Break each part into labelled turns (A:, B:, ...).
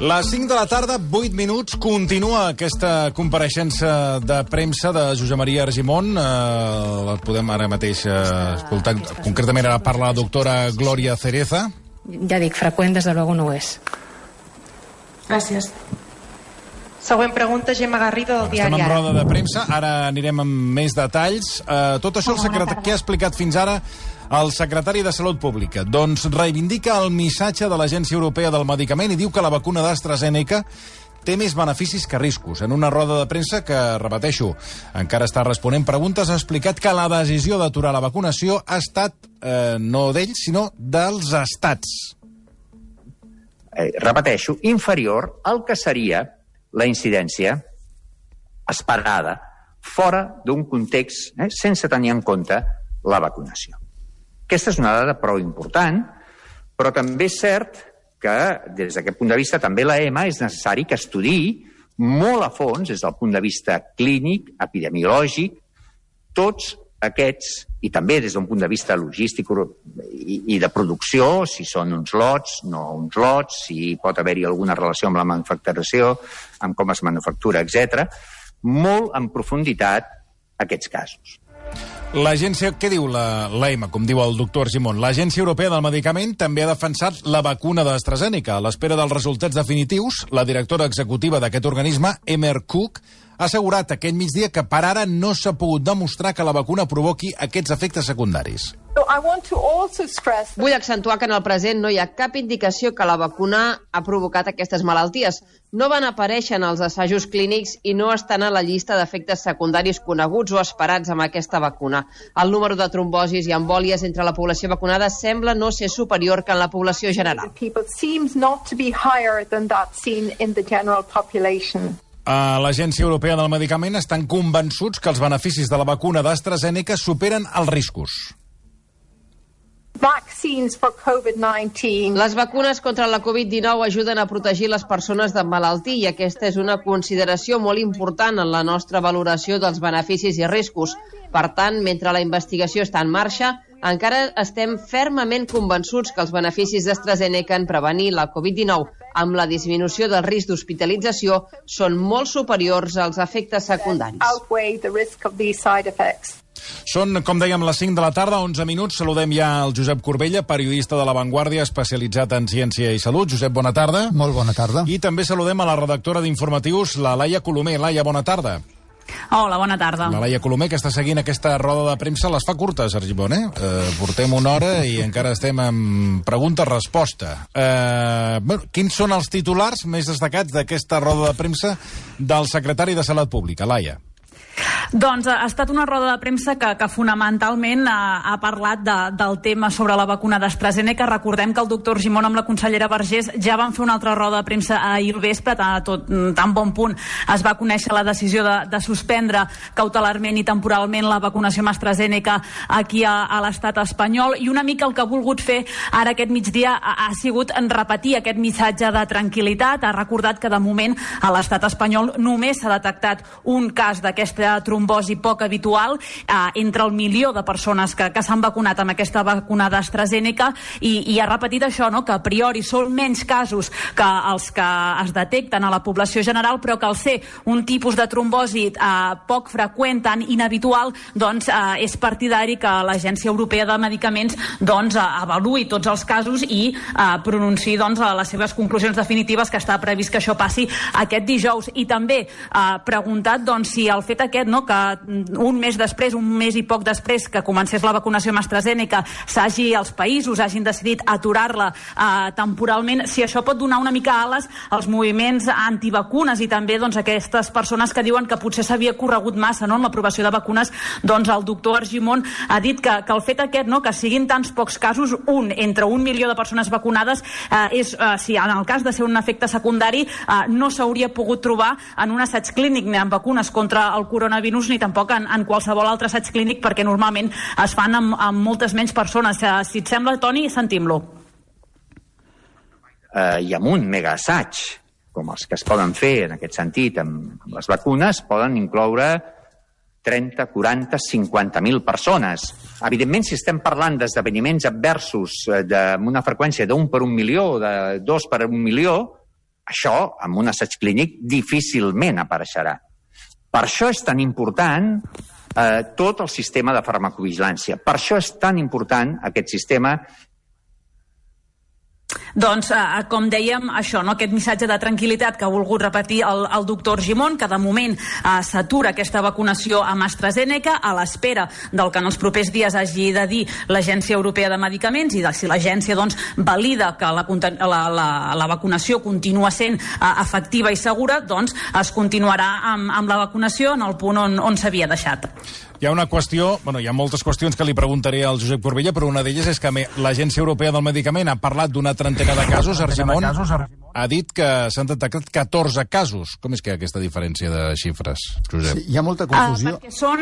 A: Les 5 de la tarda, 8 minuts, continua aquesta compareixença de premsa de Josep Maria Argimon. La podem ara mateix escoltar. Concretament ara parla la doctora Gloria Cereza.
B: Ja dic, freqüent desde luego no ho és.
C: Gràcies. Següent pregunta, Gemma Garrido, del diari
A: Estem en
C: Ara.
A: roda de premsa, ara anirem amb més detalls. Tot això, què ha explicat fins ara el secretari de Salut Pública? Doncs reivindica el missatge de l'Agència Europea del Medicament i diu que la vacuna d'AstraZeneca té més beneficis que riscos. En una roda de premsa que, repeteixo, encara està responent preguntes, ha explicat que la decisió d'aturar la vacunació ha estat no d'ells, sinó dels estats.
D: Repeteixo, inferior al que seria la incidència esperada fora d'un context sense tenir en compte la vacunació. Aquesta és una dada prou important, però també és cert que, des d'aquest punt de vista, també l'EMA és necessari que estudiï molt a fons, des del punt de vista clínic, epidemiològic, tots aquests, i també des d'un punt de vista logístic i de producció, si són uns lots, no uns lots, si pot haver-hi alguna relació amb la manufacturació, amb com es manufactura, etc. Molt en profunditat aquests casos.
A: L'agència, què diu l'EMA, com diu el doctor Argimon? L'Agència Europea del Medicament també ha defensat la vacuna d'AstraZeneca. A l'espera dels resultats definitius, la directora executiva d'aquest organisme, Emer Cook, ha assegurat aquest migdia que per ara no s'ha pogut demostrar que la vacuna provoqui aquests efectes secundaris.
E: Vull accentuar que en el present no hi ha cap indicació que la vacuna ha provocat aquestes malalties. No van aparèixer en els assajos clínics i no estan a la llista d'efectes secundaris coneguts o esperats amb aquesta vacuna. El número de trombosis i embòlies entre la població vacunada sembla no ser superior que en la població general.
A: A l'Agència Europea del Medicament estan convençuts que els beneficis de la vacuna d'AstraZeneca superen els riscos.
E: Les vacunes contra la Covid-19 ajuden a protegir les persones de malaltia i aquesta és una consideració molt important en la nostra valoració dels beneficis i riscos. Per tant, mentre la investigació està en marxa, encara estem fermament convençuts que els beneficis d'AstraZeneca en prevenir la Covid-19 amb la disminució del risc d'hospitalització són molt superiors als efectes secundaris.
A: Són, com dèiem, les 5 de la tarda, 11 minuts. Saludem ja el Josep Corbella, periodista de La Vanguardia, especialitzat en ciència i salut. Josep, bona tarda.
F: Molt bona tarda.
A: I també saludem a la redactora d'informatius, la Laia Colomer. Laia, bona tarda.
G: Hola, bona tarda.
A: La Laia Colomer, que està seguint aquesta roda de premsa, les fa curtes, Argimon, portem una hora i encara estem en pregunta-resposta. Quins són els titulars més destacats d'aquesta roda de premsa del secretari de Salut Pública, Laia?
G: Doncs ha estat una roda de premsa que fonamentalment ha parlat del tema sobre la vacuna d'AstraZeneca. Recordem que el doctor Argimon amb la consellera Vergés ja van fer una altra roda de premsa ahir al vespre, tan bon punt es va conèixer la decisió de suspendre cautelarment i temporalment la vacunació amb AstraZeneca aquí a l'estat espanyol, i una mica el que ha volgut fer ara aquest migdia ha sigut repetir aquest missatge de tranquil·litat. Ha recordat que de moment a l'estat espanyol només s'ha detectat un cas d'aquesta trombosi poc habitual entre el milió de persones que s'han vacunat amb aquesta vacuna d'AstraZeneca, i ha repetit això, no? Que a priori són menys casos que els que es detecten a la població general, però que al ser un tipus de trombosi poc freqüent, tan inhabitual, doncs és partidari que l'Agència Europea de Medicaments avaluï tots els casos i pronunciï les seves conclusions definitives, que està previst que això passi aquest dijous. I també ha preguntat si el fet aquest, que un mes i poc després que comencés la vacunació amb AstraZeneca els països hagin decidit aturar-la temporalment, si això pot donar una mica ales als moviments antivacunes i també aquestes persones que diuen que potser s'havia corregut massa en l'aprovació de vacunes. El doctor Argimon ha dit que el fet aquest, que siguin tants pocs casos, entre 1 milió de persones vacunades, si en el cas de ser un efecte secundari no s'hauria pogut trobar en un assaig clínic ni en vacunes contra el coronavirus ni tampoc en qualsevol altre assaig clínic, perquè normalment es fan amb moltes menys persones. Si et sembla, Toni, sentim-lo.
D: I amb un megaassaig, com els que es poden fer en aquest sentit amb les vacunes, poden incloure 30, 40, 50.000 persones. Evidentment, si estem parlant d'esdeveniments adversos amb una freqüència d'1 per 1 milió, de 2 per 1 milió, això, en un assaig clínic, difícilment apareixerà. Per això és tan important tot el sistema de farmacovigilància. Per això és tan important aquest sistema.
G: Doncs, com dèiem, això, no? Aquest missatge de tranquil·litat que ha volgut repetir el doctor Gimón, que de moment s'atura aquesta vacunació amb AstraZeneca a l'espera del que en els propers dies hagi de dir l'Agència Europea de Medicaments i de si l'agència valida que la vacunació continua sent efectiva i segura, doncs es continuarà amb la vacunació en el punt on s'havia deixat.
A: Hi ha una qüestió, hi ha moltes qüestions que li preguntaré al Josep Corbella, però una d'elles és que l'Agència Europea del Medicament ha parlat d'una trentena de casos. Argimon ha dit que s'han detectat 14 casos. Com és que hi ha aquesta diferència de xifres, Josep?
F: Sí, hi ha molta confusió.
G: Perquè són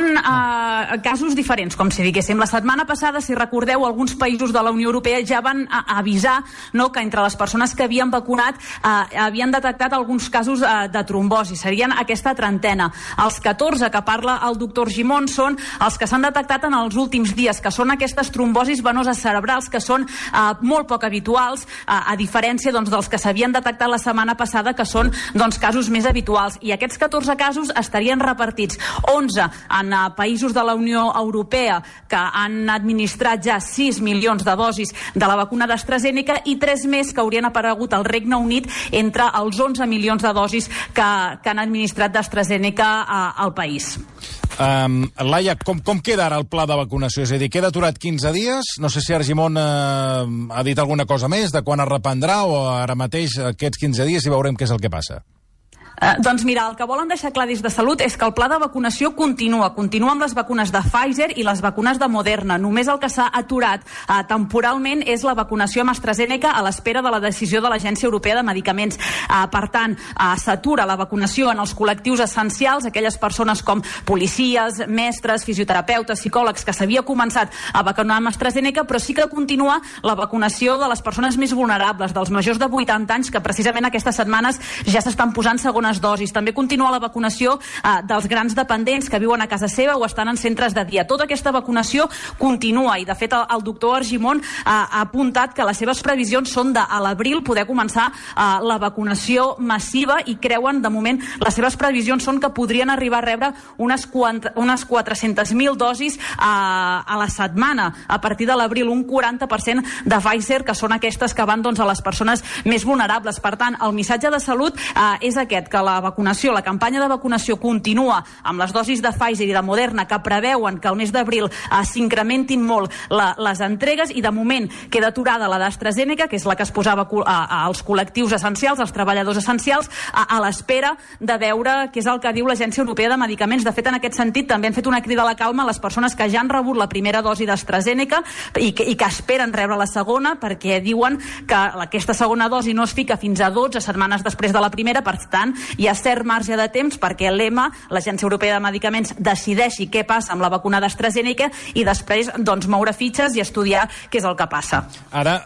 G: casos diferents, com si diguéssim. La setmana passada, si recordeu, alguns països de la Unió Europea ja van avisar que entre les persones que havien vacunat havien detectat alguns casos de trombosi. Serien aquesta trentena. Els 14 que parla el doctor Gimón són els que s'han detectat en els últims dies, que són aquestes trombosis venoses cerebrals que són molt poc habituals, a diferència dels que s'havien detectat la setmana passada, que són casos més habituals. I aquests 14 casos estarien repartits 11 en països de la Unió Europea que han administrat ja 6 milions de dosis de la vacuna d'AstraZeneca i 3 més que haurien aparegut al Regne Unit entre els 11 milions de dosis que han administrat d'AstraZeneca al país.
A: Laia, com queda ara el pla de vacunació? És a dir, queda aturat 15 dies? No sé si Argimon ha dit alguna cosa més de quan es reprendrà o ara mateix aquests 15 dies i veurem què és el que passa.
G: Doncs mira, el que volen deixar clar des de Salut és que el pla de vacunació continua amb les vacunes de Pfizer i les vacunes de Moderna. Només el que s'ha aturat temporalment és la vacunació amb AstraZeneca a l'espera de la decisió de l'Agència Europea de Medicaments. Per tant, s'atura la vacunació en els col·lectius essencials, aquelles persones com policies, mestres, fisioterapeutes, psicòlegs, que s'havia començat a vacunar amb AstraZeneca, però sí que continua la vacunació de les persones més vulnerables, dels majors de 80 anys, que precisament aquestes setmanes ja s'estan posant segones dosis. També continua la vacunació dels grans dependents que viuen a casa seva o estan en centres de dia. Tota aquesta vacunació continua i, de fet, el doctor Argimon ha apuntat que les seves previsions són de a l'abril poder començar la vacunació massiva i creuen, de moment, les seves previsions són que podrien arribar a rebre unes 400.000 dosis a la setmana. A partir de l'abril, un 40% de Pfizer, que són aquestes que van a les persones més vulnerables. Per tant, el missatge de Salut és aquest, que la campanya de vacunació continua amb les dosis de Pfizer i de Moderna, que preveuen que al mes d'abril s'incrementin molt les entregues, i de moment queda aturada la d'AstraZeneca, que és la que es posava als col·lectius essencials, als treballadors essencials, a l'espera de veure què és el que diu l'Agència Europea de Medicaments. De fet, en aquest sentit, també han fet una crida a la calma a les persones que ja han rebut la primera dosi d'AstraZeneca i que esperen rebre la segona, perquè diuen que aquesta segona dosi no es fica fins a 12 setmanes després de la primera. Per tant, hi ha cert marge de temps perquè l'EMA, l'Agència Europea de Medicaments, decideixi què passa amb la vacuna d'AstraZeneca i després moure fitxes i estudiar què és el que passa.
A: Ara,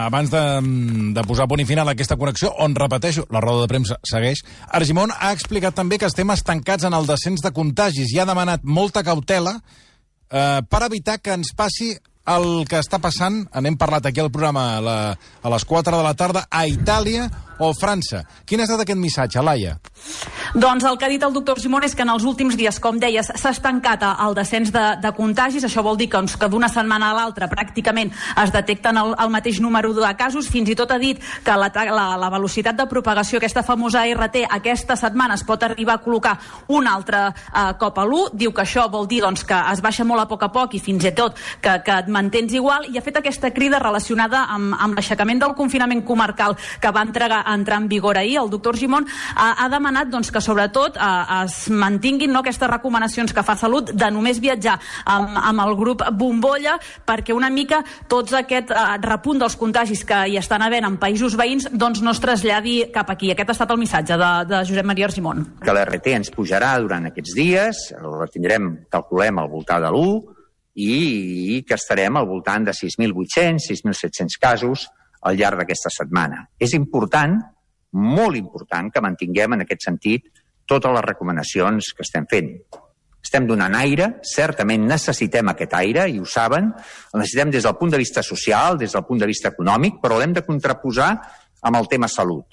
A: abans de posar punt i final a aquesta connexió, on, repeteixo, la roda de premsa segueix, Argimon ha explicat també que estem estancats en el descens de contagis i ha demanat molta cautela per evitar que ens passi el que està passant, n'hem parlat aquí al programa a les 4 de la tarda, a Itàlia o França. Quin ha estat aquest missatge, Laia?
G: Doncs el que ha dit el doctor Gimón és que en els últims dies, com deies, s'ha estancat el descens de contagis. Això vol dir que d'una setmana a l'altra pràcticament es detecten el mateix número de casos. Fins i tot ha dit que la velocitat de propagació, aquesta famosa RT, aquesta setmana es pot arribar a col·locar un altre cop a l'1. Diu que això vol dir que es baixa molt a poc i fins i tot que et mantens igual, i ha fet aquesta crida relacionada amb l'aixecament del confinament comarcal que va entrar en vigor ahir. El doctor Gimón ha demanat que sobretot es mantinguin aquestes recomanacions que fa Salut de només viatjar amb el grup bombolla, perquè una mica tots aquest repunt dels contagis que hi estan havent en països veïns no es traslladi cap aquí. Aquest ha estat el missatge de Josep Maria Argimon.
D: Que l'RT ens pujarà durant aquests dies, la tindrem, calculem, al voltant de l'1, i que estarem al voltant de 6.800, 6.700 casos al llarg d'aquesta setmana. És important, molt important, que mantinguem en aquest sentit totes les recomanacions que estem fent. Estem donant aire, certament necessitem aquest aire, i ho saben, el necessitem des del punt de vista social, des del punt de vista econòmic, però l'hem de contraposar amb el tema salut.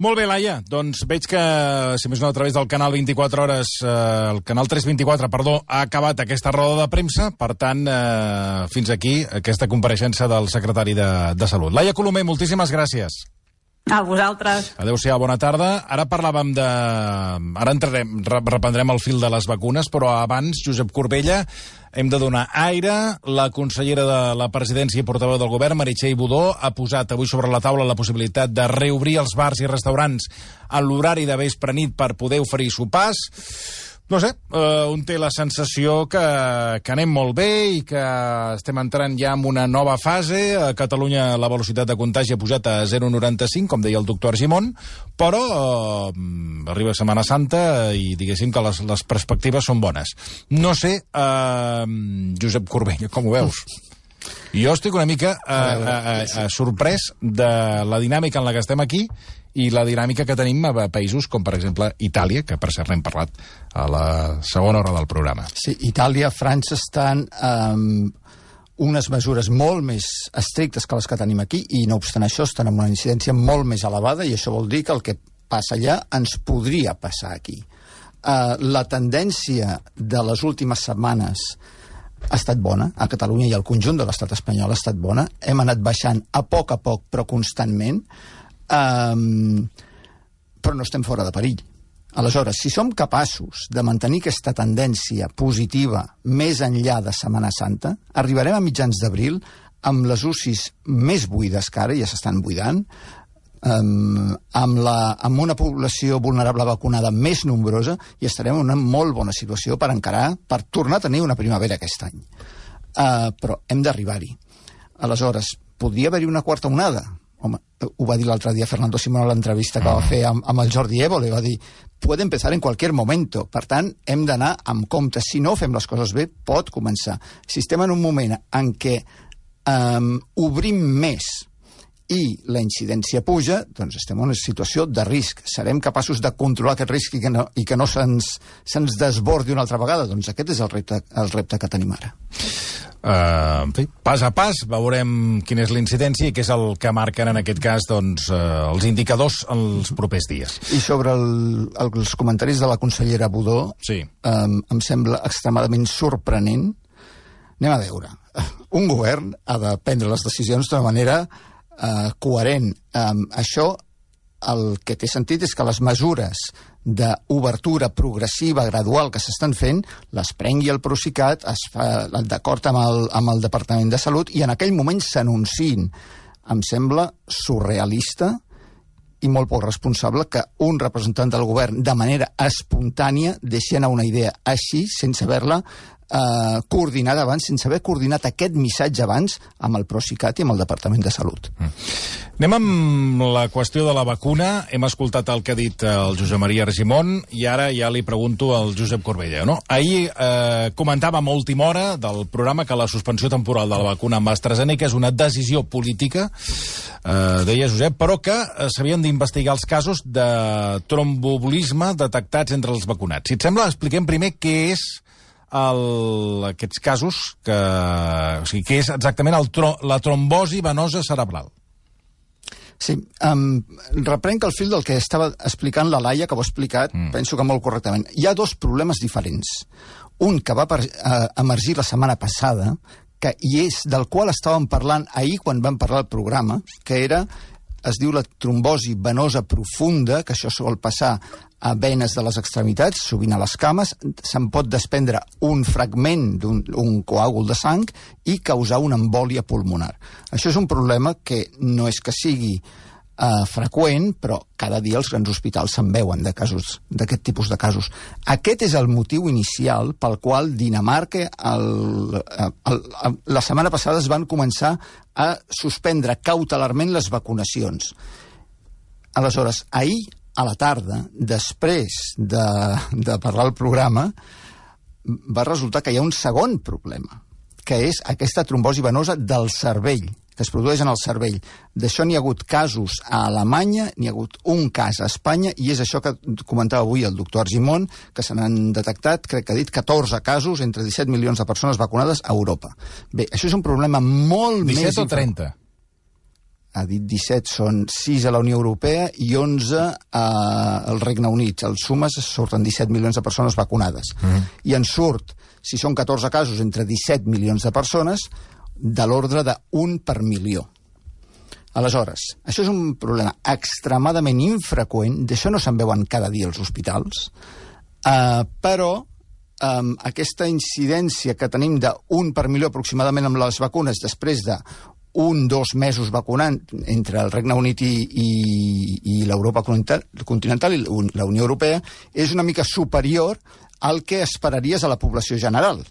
A: Molt bé, Laia. Doncs veig que, si més no, a través del canal 24 hores, el canal 324, perdó, ha acabat aquesta roda de premsa. Per tant, fins aquí aquesta compareixença del secretari de Salut. Laia Colomer, moltíssimes gràcies.
G: A vosaltres.
A: Adéu-siau, bona tarda. Ara parlàvem de... Ara reprendrem el fil de les vacunes, però abans, Josep Corbella, hem de donar aire. La consellera de la Presidència i portaveu del Govern, Meritxell Budó, ha posat avui sobre la taula la possibilitat de reobrir els bars i restaurants a l'horari de vespre-nit per poder oferir sopars. No sé, un té la sensació que anem molt bé i que estem entrant ja en una nova fase. A Catalunya la velocitat de contagi ha pujat a 0,95, com deia el doctor Argimon, però arriba Setmana Santa i diguéssim que les perspectives són bones. No sé, Josep Corbella, com ho veus? Jo estic una mica sorprès de la dinàmica en la que estem aquí i la dinàmica que tenim a països com, per exemple, Itàlia, que per cert n'hem parlat a la segona hora del programa.
F: Sí, Itàlia, França estan unes mesures molt més estrictes que les que tenim aquí i, no obstant això, estan amb una incidència molt més elevada i això vol dir que el que passa allà ens podria passar aquí. La tendència de les últimes setmanes ha estat bona, a Catalunya i al conjunt de l'estat espanyol ha estat bona. Hem anat baixant a poc, però constantment, però no estem fora de perill. Aleshores, si som capaços de mantenir aquesta tendència positiva més enllà de Setmana Santa, arribarem a mitjans d'abril amb les UCIs més buides que ara, ja s'estan buidant, amb una població vulnerable vacunada més nombrosa i estarem en una molt bona situació per tornar a tenir una primavera aquest any. Però hem d'arribar-hi. Aleshores, podria haver-hi una quarta onada? Home, ho va dir l'altre dia Fernando Simón a l'entrevista que va fer amb el Jordi Évole, va dir, puede empezar en cualquier momento. Per tant, hem d'anar amb compte. Si no fem les coses bé, pot començar. Si estem en un moment en què obrim més i la incidència puja, doncs estem en una situació de risc. Serem capaços de controlar aquest risc i que no se'ns desbordi una altra vegada? Doncs aquest és el repte que tenim ara.
A: En fi, pas a pas veurem quina és la incidència i què és el que marquen en aquest cas doncs, els indicadors els propers dies.
F: I sobre els comentaris de la consellera Budó, sí. Em sembla extremadament sorprenent. Anem a veure. Un govern ha de prendre les decisions d'una manera coherent. Això el que té sentit és que les mesures d'obertura progressiva, gradual, que s'estan fent, les prengui el Procicat, es fa d'acord amb el Departament de Salut, i en aquell moment s'anunciïn. Em sembla surrealista i molt poc responsable que un representant del govern, de manera espontània, deixi anar una idea així, sense haver-la coordinada abans, sense haver coordinat aquest missatge abans amb el Procicat i amb el Departament de Salut.
A: Anem amb la qüestió de la vacuna. Hem escoltat el que ha dit el Josep Maria Argimon i ara ja li pregunto al Josep Corbella. No? Ahir comentàvem a última hora del programa que la suspensió temporal de la vacuna amb AstraZeneca és una decisió política, deia Josep, però que s'havien d'investigar els casos de tromboembolisme detectats entre els vacunats. Si et sembla, expliquem primer què és aquests casos, o sigui, què és exactament la trombosi venosa cerebral.
F: Sí, reprenc el fil del que estava explicant la Laia, que ho ha explicat, penso que molt correctament. Hi ha dos problemes diferents. Un que va emergir la setmana passada, i és del qual estàvem parlant ahir quan vam parlar del programa, que es diu la trombosi venosa profunda, que això sol passar a venes de les extremitats, sovint a les cames, se'n pot desprendre un fragment d'un coàgul de sang i causar una embòlia pulmonar. Això és un problema que no és que sigui freqüent, però cada dia els grans hospitals se'n veuen d'aquest tipus de casos. Aquest és el motiu inicial pel qual Dinamarca la setmana passada es van començar a suspendre cautelarment les vacunacions. Aleshores, ahir a la tarda, després de parlar el programa, va resultar que hi ha un segon problema, que és aquesta trombosi venosa del cervell, que es produeix en el cervell. D'això n'hi ha hagut casos a Alemanya, n'hi ha hagut un cas a Espanya, i és això que comentava avui el doctor Argimon, que se n'han detectat, crec que ha dit, 14 casos entre 17 milions de persones vacunades a Europa. Bé, això és un problema molt
A: 17
F: més...
A: 17 o 30?
F: ha dit 17, són 6 a la Unió Europea i 11 al Regne Unit. Els sumes surten 17 milions de persones vacunades. I en surt, si són 14 casos, entre 17 milions de persones, de l'ordre d'1 per milió. Aleshores, això és un problema extremadament infreqüent, d'això no se'n veuen cada dia als hospitals, però aquesta incidència que tenim d'1 per milió aproximadament amb les vacunes després de 1-2 mesos vacunant entre el Regne Unit i l'Europa continental i la Unió Europea és una mica superior al que esperaries a la població general.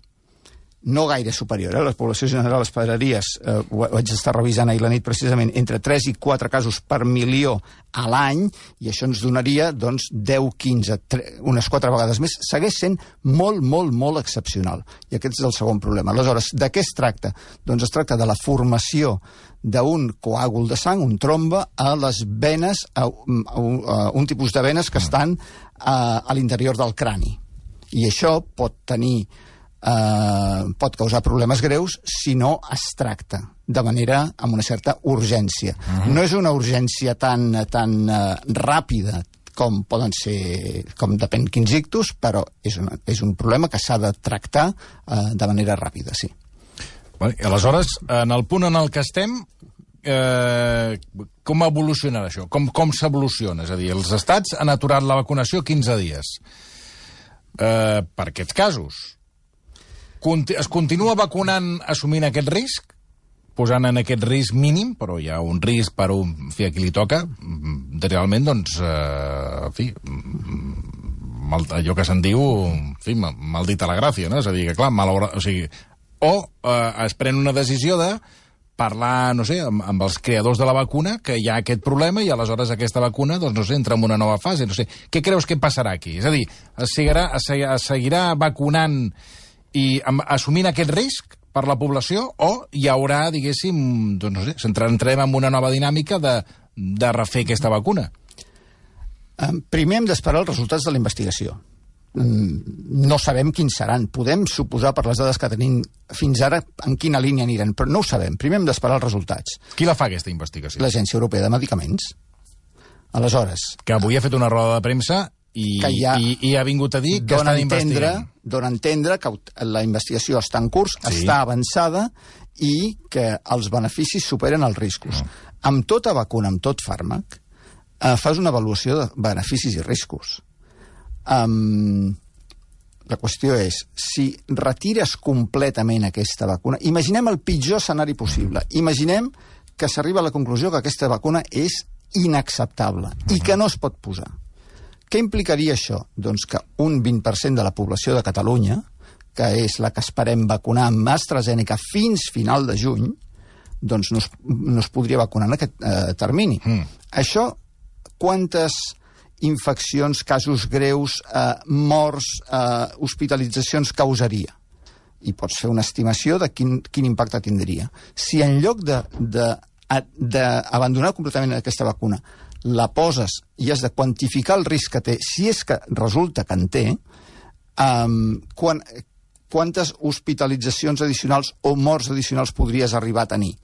F: No gaire superior, la població general esperaries, ho vaig estar revisant ahir la nit precisament, entre 3 i 4 casos per milió a l'any, i això ens donaria, doncs, 10, 15, unes 4 vegades més. Segueix sent molt, molt, molt excepcional. I aquest és el segon problema. Aleshores, de què es tracta? Doncs es tracta de la formació d'un coàgul de sang, un trombe, a les venes, un tipus de venes que estan a l'interior del crani. I això pot tenir pot causar problemes greus si no es tracta de manera amb una certa urgència. No és una urgència tan ràpida com poden ser, com depèn quins ictus, però és un problema que s'ha de tractar de manera ràpida, sí.
A: Aleshores, en el punt en el que estem, com evolucionarà això? Com s'evoluciona? És a dir, els estats han aturat la vacunació 15 dies. Per aquests casos, es continua vacunant assumint aquest risc, posant en aquest risc mínim, però hi ha un risc per a qui li toca, realment, doncs, en fi, allò que se'n diu, en fi, maldita la gràcia, no? És a dir, que clar, es pren una decisió de parlar, no sé, amb els creadors de la vacuna, que hi ha aquest problema i aleshores aquesta vacuna, doncs, no sé, entra en una nova fase, no sé. Què creus que passarà aquí? És a dir, es seguirà vacunant i assumint aquest risc per la població o hi haurà, diguéssim, doncs no sé, entrarem en una nova dinàmica de refer aquesta vacuna?
F: Primer hem d'esperar els resultats de la investigació. No sabem quins seran. Podem suposar per les dades que tenim fins ara en quina línia aniran, però no ho sabem. Primer hem d'esperar els resultats.
A: Qui la fa, aquesta investigació?
F: L'Agència Europea de Medicaments. Aleshores...
A: Que avui ha fet una roda de premsa i ha vingut a dir que estan investigant.
F: Dóna a entendre que la investigació està en curs, està avançada i que els beneficis superen els riscos. Amb tota vacuna, amb tot fàrmac, fas una avaluació de beneficis i riscos. La qüestió és, si retires completament aquesta vacuna, imaginem el pitjor escenari possible, imaginem que s'arriba a la conclusió que aquesta vacuna és inacceptable i que no es pot posar. Què implicaria això? Doncs que un 20% de la població de Catalunya, que és la que esperem vacunar amb AstraZeneca fins final de juny, doncs no es podria vacunar en aquest termini. Això, quantes infeccions, casos greus, morts, hospitalitzacions causaria? I pots fer una estimació de quin impacte tindria. Si en lloc d'abandonar completament aquesta vacuna la poses i has de quantificar el risc que té, si és que resulta que en té, quantes hospitalitzacions addicionals o morts addicionals podries arribar a tenir?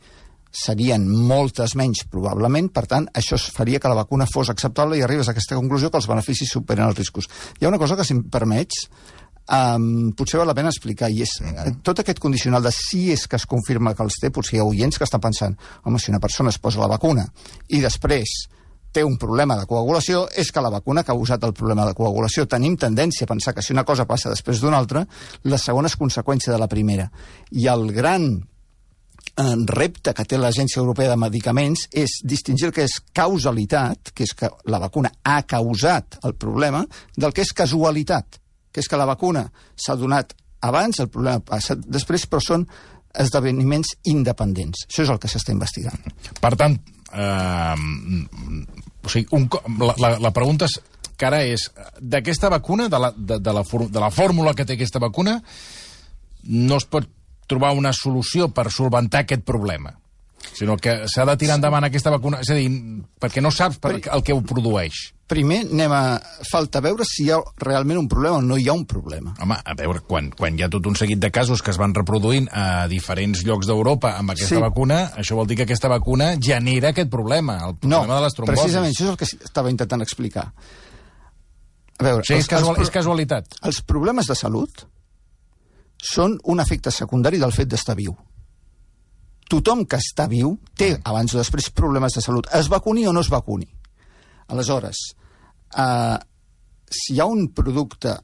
F: Serien moltes menys, probablement, per tant, això faria que la vacuna fos acceptable i arribes a aquesta conclusió que els beneficis superen els riscos. Hi ha una cosa que, si em permets, potser val la pena explicar, i és tot aquest condicional de si és que es confirma que els té, potser hi ha oients que estan pensant, home, si una persona es posa la vacuna i després té un problema de coagulació, és que la vacuna ha causat el problema de coagulació. Tenim tendència a pensar que si una cosa passa després d'una altra, la segona és conseqüència de la primera. I el gran repte que té l'Agència Europea de Medicaments és distingir el que és causalitat, que és que la vacuna ha causat el problema, del que és casualitat, que és que la vacuna s'ha donat abans, el problema ha passat després, però són esdeveniments independents. Això és el que s'està investigant.
A: Per tant, la pregunta que ara és, d'aquesta vacuna, de la fórmula que té aquesta vacuna, no es pot trobar una solució per solventar aquest problema, sinó que s'ha de tirar endavant aquesta vacuna, és a dir, perquè no saps el que ho produeix.
F: primer falta veure si hi ha realment un problema o no hi ha un problema.
A: Home, a veure, quan hi ha tot un seguit de casos que es van reproduint a diferents llocs d'Europa amb aquesta vacuna, això vol dir que aquesta vacuna genera aquest problema, el problema de les trombosis.
F: No, precisament, això és el que estava intentant explicar. A veure,
A: és casualitat.
F: Els problemes de salut són un efecte secundari del fet d'estar viu. Tothom que està viu té, abans o després, problemes de salut. Es vacuni o no es vacuni. Aleshores, si hi ha un producte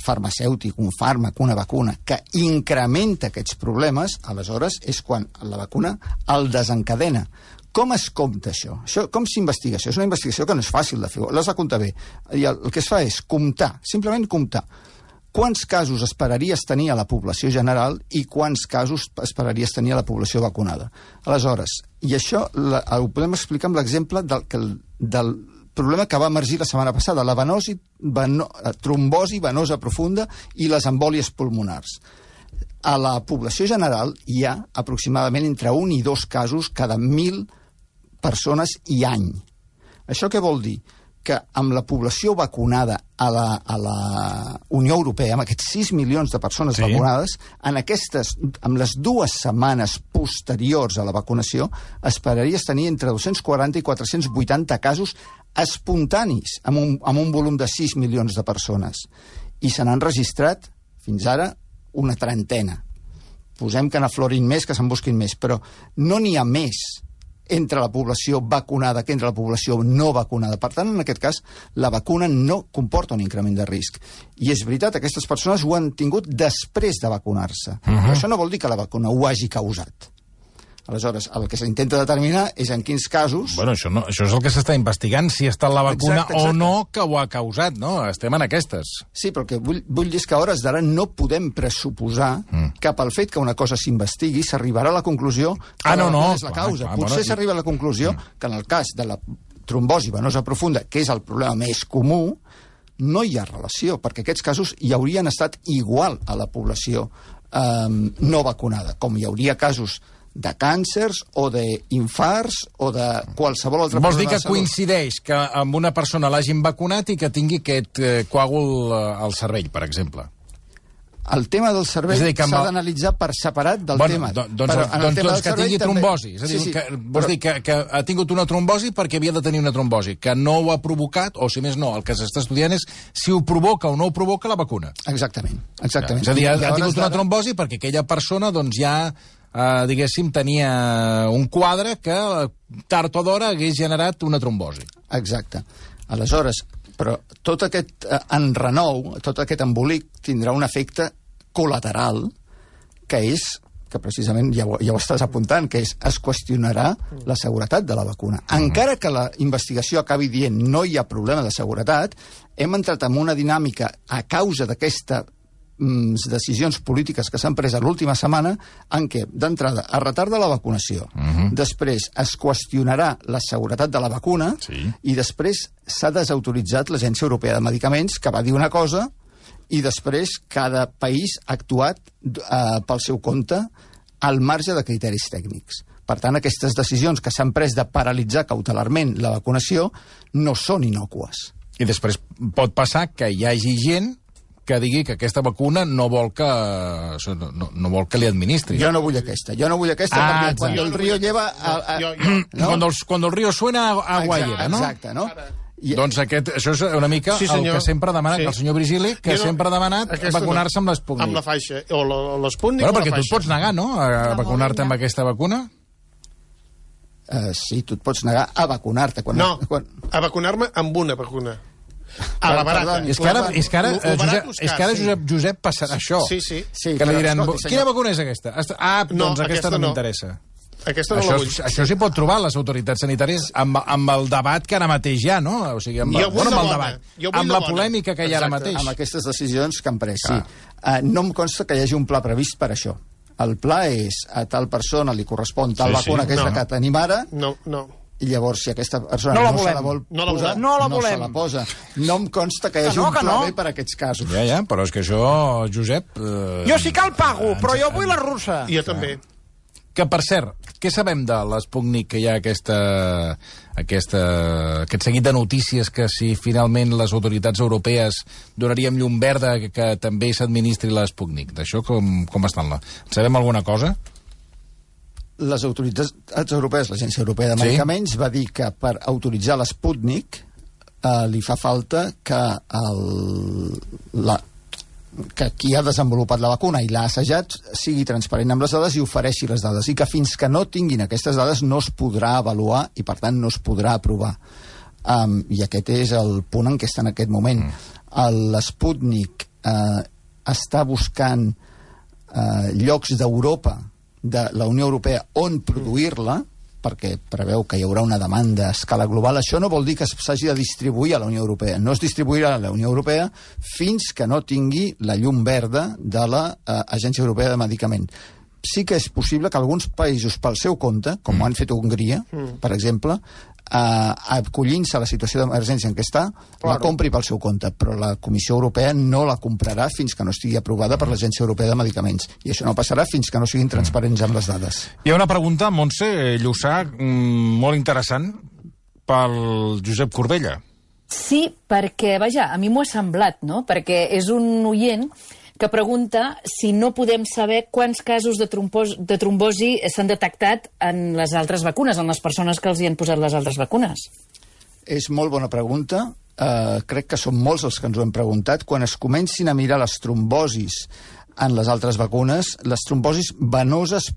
F: farmacèutic, un fàrmac, una vacuna, que incrementa aquests problemes, aleshores és quan la vacuna el desencadena. Com es compta això? Com s'investiga això? És una investigació que no és fàcil de fer, l'has de comptar bé. I el que es fa és comptar, simplement comptar. Quants casos esperaries tenir a la població general i quants casos esperaries tenir a la població vacunada. Aleshores, i això ho podem explicar amb l'exemple del problema que va emergir la setmana passada, la trombosi venosa profunda i les embòlies pulmonars. A la població general hi ha aproximadament entre 1 i 2 casos cada 1.000 persones i any. Això què vol dir? Que amb la població vacunada a la Unió Europea, amb aquests 6 milions de persones vacunades, amb les 2 setmanes posteriors a la vacunació, esperaries tenir entre 240 i 480 casos espontanis, amb un volum de 6 milions de persones. I se n'han registrat, fins ara, una trentena. Posem que n'aflorin més, que se'n busquin més, però no n'hi ha més entre la població vacunada que entre la població no vacunada. Per tant, en aquest cas, la vacuna no comporta un increment de risc. I és veritat, aquestes persones ho han tingut després de vacunar-se. Però això no vol dir que la vacuna ho hagi causat. Aleshores, el que s'intenta determinar és en quins casos...
A: Bueno, això és el que s'està investigant, si ha estat la vacuna o no que ho ha causat, no? Estem en aquestes.
F: Sí, però el que vull dir és que a hores d'ara no podem pressuposar que pel fet que una cosa s'investigui s'arribarà a la conclusió que la vacuna és la causa. Potser s'arriba a la conclusió que en el cas de la trombosi venosa profunda, que és el problema més comú, no hi ha relació, perquè aquests casos hi haurien estat igual a la població no vacunada, com hi hauria casos de càncers o d'infarts o de qualsevol altra
A: problema de salut. Vols dir que coincideix que amb una persona l'hagin vacunat i que tingui aquest coàgul al cervell, per exemple?
F: El tema del cervell s'ha d'analitzar per separat del tema.
A: Doncs que tingui trombosi. És a dir, vols dir que ha tingut una trombosi perquè havia de tenir una trombosi, que no ho ha provocat, o si més no, el que s'està estudiant és si ho provoca o no ho provoca la vacuna.
F: Exactament.
A: És a dir, ha tingut una trombosi perquè aquella persona doncs ja diguéssim, tenia un quadre que tard o d'hora hagués generat una trombosi.
F: Exacte. Aleshores, però tot aquest enrenou, tot aquest embolic tindrà un efecte col·lateral que és, que precisament ja ho estàs apuntant, que és es qüestionarà la seguretat de la vacuna. Encara que la investigació acabi dient no hi ha problema de seguretat, hem entrat en una dinàmica a causa d'aquesta decisions polítiques que s'han pres a l'última setmana en què, d'entrada, es retarda la vacunació, després es qüestionarà la seguretat de la vacuna i després s'ha desautoritzat l'Agència Europea de Medicaments, que va dir una cosa i després cada país ha actuat pel seu compte al marge de criteris tècnics. Per tant, aquestes decisions que s'han pres de paralitzar cautelarment la vacunació no són innòcues.
A: I després pot passar que hi hagi gent que digui que aquesta vacuna no vol que li administri.
F: Jo no vull aquesta perquè quan el río lleva...
A: Cuando el río suena, agua lleva, no?
F: Exacte, no?
A: Doncs això és una mica el que sempre ha demanat el senyor Virgili, que sempre ha demanat vacunar-se amb l'Sputnik.
H: Amb la faixa, o l'Sputnik o la faixa.
A: Perquè tu et pots negar, no?, a vacunar-te amb aquesta vacuna?
F: Sí, tu et pots negar a vacunar-te.
H: No, a vacunar-me amb una vacuna. A la barata.
A: És que ara Josep passarà això.
H: Sí.
A: Que li diran, quina vacuna és aquesta? Doncs aquesta no m'interessa.
H: Aquesta no la vull.
A: Això s'hi pot trobar les autoritats sanitàries amb el debat que ara mateix hi ha, no? O sigui, amb la polèmica que hi ha ara mateix.
F: Amb aquestes decisions que han pres, sí. No em consta que hi hagi un pla previst per això. El pla és a tal persona li correspon tal vacuna que és la que tenim ara.
H: No.
F: I llavors, si aquesta persona no se la vol posar, no se la posa. No em consta que hi hagi un pla B per a aquests casos.
A: Ja, però és que això, Josep...
I: Jo sí que el pago, però jo vull la russa.
H: Jo també.
A: Que, per cert, què sabem de l'Sputnik, que hi ha aquest seguit de notícies que si finalment les autoritats europees donaríem llum verda que també s'administri l'Sputnik? D'això com estan? Sabem alguna cosa?
F: Les autoritats europees, l'Agència Europea de Medicaments, va dir que per autoritzar l'Sputnik li fa falta que qui ha desenvolupat la vacuna i l'ha assajat sigui transparent amb les dades i ofereixi les dades, i que fins que no tinguin aquestes dades no es podrà avaluar i per tant no es podrà aprovar. I aquest és el punt en què està en aquest moment. L'Sputnik està buscant llocs d'Europa, de la Unió Europea, on produir-la, perquè preveu que hi haurà una demanda a escala global. Això no vol dir que s'hagi de distribuir a la Unió Europea. No es distribuirà a la Unió Europea fins que no tingui la llum verda de l'Agència Europea de Medicament. Sí que és possible que alguns països, pel seu compte, com han fet a Hongria, per exemple, acollint-se a la situació d'emergència en què està, la compri pel seu compte, però la Comissió Europea no la comprarà fins que no estigui aprovada per l'Agència Europea de Medicaments. I això no passarà fins que no siguin transparents amb les dades.
A: Hi ha una pregunta, Montse Llussà, molt interessant, pel Josep Corbella.
I: Sí, perquè, vaja, a mi m'ho ha semblat, no? Perquè és un oient que pregunta si no podem saber quants casos de trombosi s'han detectat en les altres vacunes, en les persones que els hi han posat les altres vacunes.
F: És molt bona pregunta. Crec que són molts els que ens ho hem preguntat. Quan es comencin a mirar les trombosis en les altres vacunes, les trombosis venoses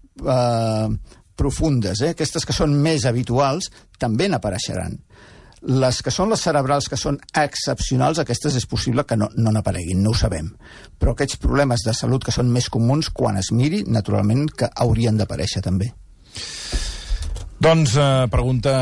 F: profundes, aquestes que són més habituals, també n'apareixeran. Les que són les cerebrals, que són excepcionals, aquestes és possible que no n'apareguin, no ho sabem. Però aquests problemes de salut que són més comuns, quan es miri, naturalment que haurien d'aparèixer també.
A: Doncs pregunta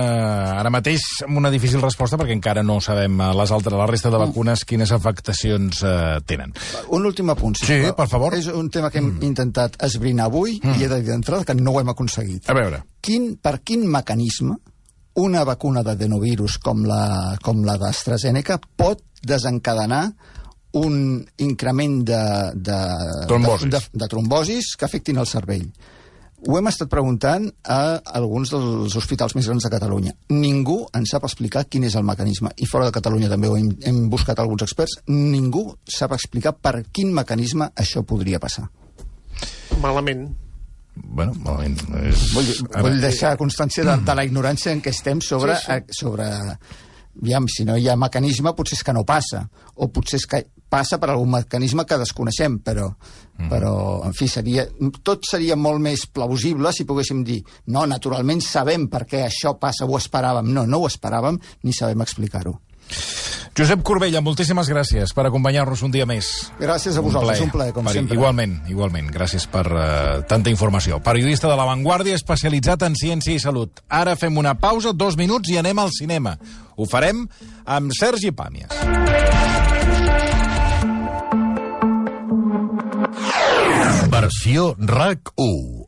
A: ara mateix amb una difícil resposta perquè encara no sabem la resta de vacunes quines afectacions tenen.
F: Un últim apunt,
A: sí, per favor.
F: És un tema que hem intentat esbrinar avui i he de dir d'entrada que no ho hem aconseguit.
A: A veure.
F: Per quin mecanisme una vacuna d'adenovirus com la d'AstraZeneca pot desencadenar un increment de trombosis que afectin el cervell? Ho hem estat preguntant a alguns dels hospitals més grans de Catalunya. Ningú ens sap explicar quin és el mecanisme. I fora de Catalunya també hem buscat alguns experts. Ningú sap explicar per quin mecanisme això podria passar.
H: Malament.
A: Bueno, malament.
F: Vull deixar constància de la ignorància en què estem sobre... Aviam, si no hi ha mecanisme, potser és que no passa. O potser és que passa per algun mecanisme que desconeixem, però en fi, tot seria molt més plausible si poguéssim dir no, naturalment sabem per què això passa, ho esperàvem. No ho esperàvem ni sabem explicar-ho.
A: Josep Corbella, moltíssimes gràcies per acompanyar-nos un dia més.
F: Gràcies a vosaltres, un plaer, com sempre.
A: Igualment. Gràcies per tanta informació. Periodista de La Vanguardia, especialitzat en ciència i salut. Ara fem una pausa, 2 minuts, i anem al cinema. Ho farem amb Sergi Pàmies.
J: Versió RAC 1.